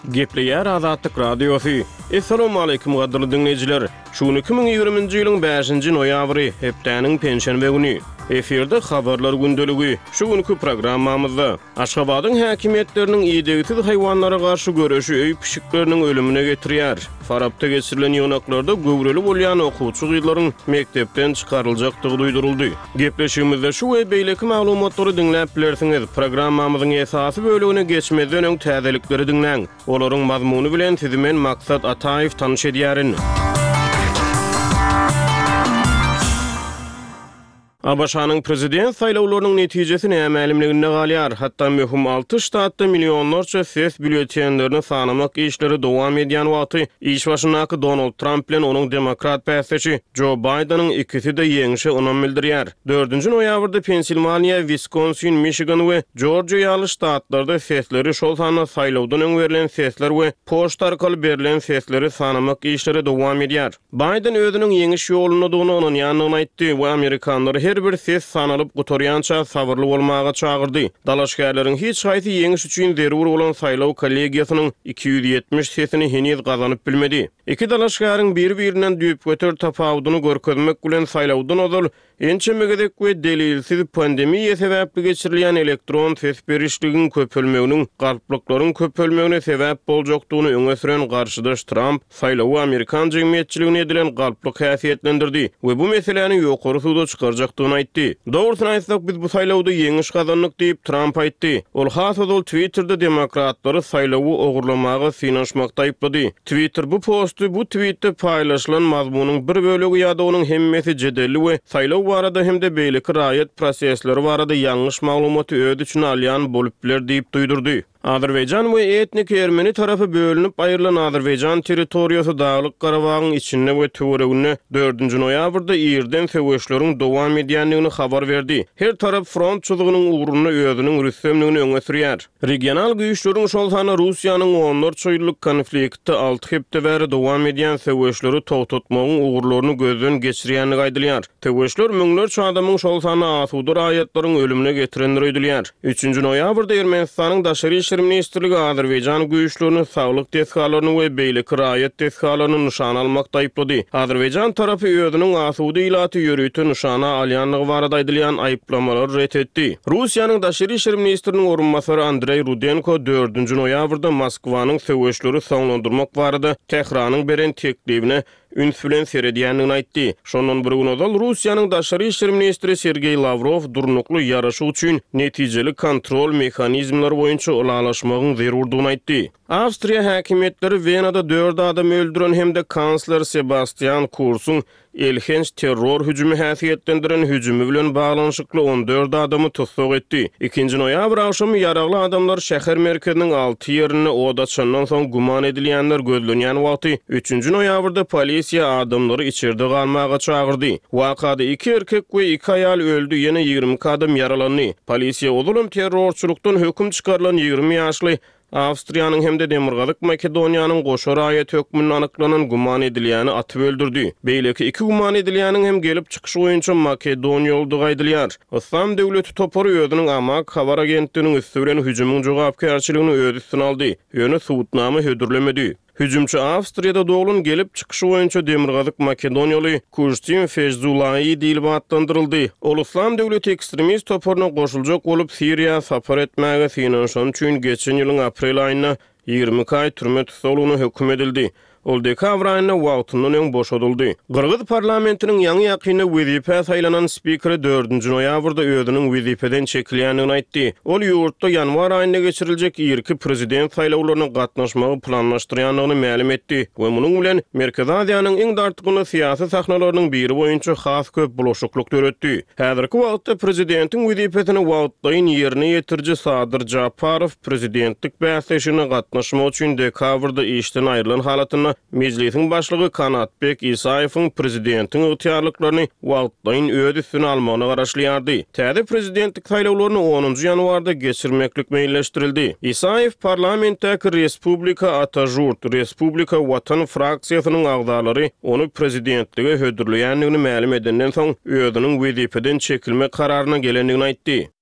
Gepleýär Azatlyk Radiosy. Essalawmaleýkim gadyrly diňleýjiler! Şu gün 2020-nji ýylyň bäşinji noýabry, hepdäniň penşenbe güni. Efirde Habarlar gündeligi. Şu günki programmamyzda. Aşgabadyň häkimiýetleriniň idegsiz haýwanlara garşy göreşi öý pişikleriniň ölümine getirýär. Farapda geçirilen ýygnaklarda göwreli bolýan okuwçy gyzlaryň mekdepden çykaryljakdygy duýduryldy. Gepleşigimizde şu we beýleki maglumatlary diňläp bilersiňiz. Programmamyzyň esasy bölegine geçmezden öň täzelikleri diňläň. Olaryň mazmuny bilen sizi men Maksat Ataýew tanyş edýärin. ABŞ-nyň prezident saýlawlarynyň netijesi nämälimliginde galýar. Hatda möhüm alty ştatda millionlarça ses býulletenlerini sanamak işleri dowam edýän wagty, iş başyndaky Donald Tramp bilen onuň demokrat bäsdeşi Jo Baýdeniň ikisi-de ýeňşe ynam bildirýär. Dördünji noýabrda Pensilwaniýa, Wiskonsin, Miçigan we Jorjiýa ýaly ştatlarda sesleri, şol sanda saýlawdan öň berlen sesler we poçta arkaly berlen sesleri sanamak işleri dowam edýär. Baýden özüniň ýeňiş ýolundadygyna ynanýandygyny aýtdy we amerikanlary her bir ses sanalyp gutarýança sabyrly bolmaga çagyrdy. Dalaşgärleriň hiç haýsy ýeňiş üçin zerur bolan saýlaw kollegiýasynyň 270 sesini heniz gazanyp bilmedi. Iki dalaşgäriň biri-birinden düýpgöter tapawudyny görkezmek bilen saýlawdan ozal Ençeme gezek we delilsiz pandemiýa sebäpli geçirilýän elektron ses berişligiň köpelmeginiň galplyklaryň köpelmegine sebäp boljakdygyny öňe süren garşydaş Tramp saýlawy amerikan jemgyýetçiligine edilen galplyk häsiýetlendirdi we bu meseläni ýokary suda çykarjakdygyny aýtdy. Dogrusyny aýtsak, biz bu saýlawda ýeňiş gazandyk diýip, Tramp aýtdy. Ol has ozal Twitterde demokratlary saýlawy ogurlamaga synanyşmakda aýyplady. Twitter bu posty bu twitde paýlaşylan mazmunyň bir bölegi ýa-da onuň hemmesi jedelli we saýlaw barada hem-de beýleki raýat prosesleri barada ýalňyş maglumaty öz içine alýan bolup biler diýip duýdurdy. Azerbaýjan we etniki ermeni tarapy bölünip aýrylan Azerbaýjan territoriýasy Daglyk Garabagyň içinde we töwereginde dördünji noýabrda irden söweşleriň dowam edýändigini habar berdi. Her tarap front çyzygynyň ugrunda özüniň rüstemligini öňe sürýär. Regional güýçleriň, şol sanda Russiýanyň onlarça ýyllyk konfliktde alty hepde bäri dowam edýän söweşleri togtatmagyň ugurlaryny gözden geçirýändigi aýdylýar. Söweşler müňlerçe adamyň, şol sanda asuda raýatlaryň ölümine getirendir öýdülýär. Üçünji noýabrda Ermenistanyň Daşary işler ministrligi azerbaýjan güýçlerini saglyk desgalaryny we beýleki raýat desgalaryny nyşana almakda aýyplady. Azerbaýjan tarapy özüniň asuda ilaty ýörite nyşana alýandygy barada aýdylýan aýyplamalary ret etdi. Russiýanyň daşary işler ministriniň orunbasary Andreý Rudenko dördünji noýabrda Moskwanyň söweşleri soňlandyrmak barada Tähranyň beren teklibine üns bilen seredýändigini aýtdy. Şondan bir gün ozal Russiýanyň daşary işler ministri Sergeý Lawrow durnukly ýaraşyk üçin netijeli kontrol mehanizmleri boýunça ylalaşmagyň zerurdygyny aýtdy. Awstriýa häkimiýetleri Wenada dört adamy öldüren hem-de kansler Sebastian Kursuň elhenç terror hüjümi häsiýetlendiren hüjümi bilen baglanyşykly 14 adamy tussag etdi. Ikinji noýabr agşamy ýaragly adamlar şäher merkeziniň alty ýerinde od açandan soň güman edilýänler gözlenýän wagty, üçünji noýabrda polisiýa adamlary içerde galmaga çagyrdy. Wakada iki erkek we iki aýal öldi, ýene 22 adam ýaralandy. Polisiýa ozalam terrorçylykdan höküm çykarylan 20 ýaşly Awstriýanyň hem-de Demirgazyk Makedoniýanyň goşa raýaty hökmünde anyklanan güman edilýäni atyp öldürdi. Beýleki iki güman edilýäniň hem gelip çykyşy boýunça makedoniýalydygy aýdylýar. Yslam döwleti topary özüniň Amak habar agentliginiň üsti bilen hüjümiň jogapkärçiligini öz üstüne aldy, ýöne subutnama hödürlemedi. Hüjümçi Awstriýada doglan, gelip çykyşy boýunça Demirgazyk Makedoniýaly Kujtim Fejzulai diýlip atlandyryldy. Ol Yslam döwleti ekstremist toparyna goşuljak bolup, Siriýa sapar etmäge synanyşany üçin geçen ýylyň aprel aýynda 22 aý türme tussaglygyna höküm edildi. Ol dekabr aýynda wagtyndan öň boşadyldy. Gyrgyz parlamentiniň ýaňy-ýakynda wezipä saýlanan spikeri dördünji noýabrda özüniň wezipeden çekilýändigini aýtdy. Ol ýurtda ýanwar aýynda geçiriljek irki prezident saýlawlaryna gatnaşmagy planlaşdyrýandygyny mälim etdi we munuň bilen Merkezi Aziýanyň iň dartgynly syýasy sahnalarynyň biri boýunça has köp bulaşyklyk döretdi. Häzirki wagtda prezidentiň wezipesini wagtlaýyn ýerine ýetiriji Sadyr Japarow prezidentlik bäsleşigine gatnaşmak üçin dekabrda işden aýrylan halatynda Mejlisiň başlygy Kanatbek Isaýewiň prezidentiň ygtyýarlyklaryny wagtlaýyn öz üstüne almagyna garaşylýardy. Täze prezidentlik saýlawlaryny onunjy ýanwarda geçirmeklik meýilleşdirildi. Isaýew parlamentdäki Respublika Ata-Žurt, Respublika Watan fraksiýasynyň agzalary ony prezidentlige hödürleýändigini mälim edenden soň, özüniň wezipeden çekilmek kararyna gelendigini aýtdy.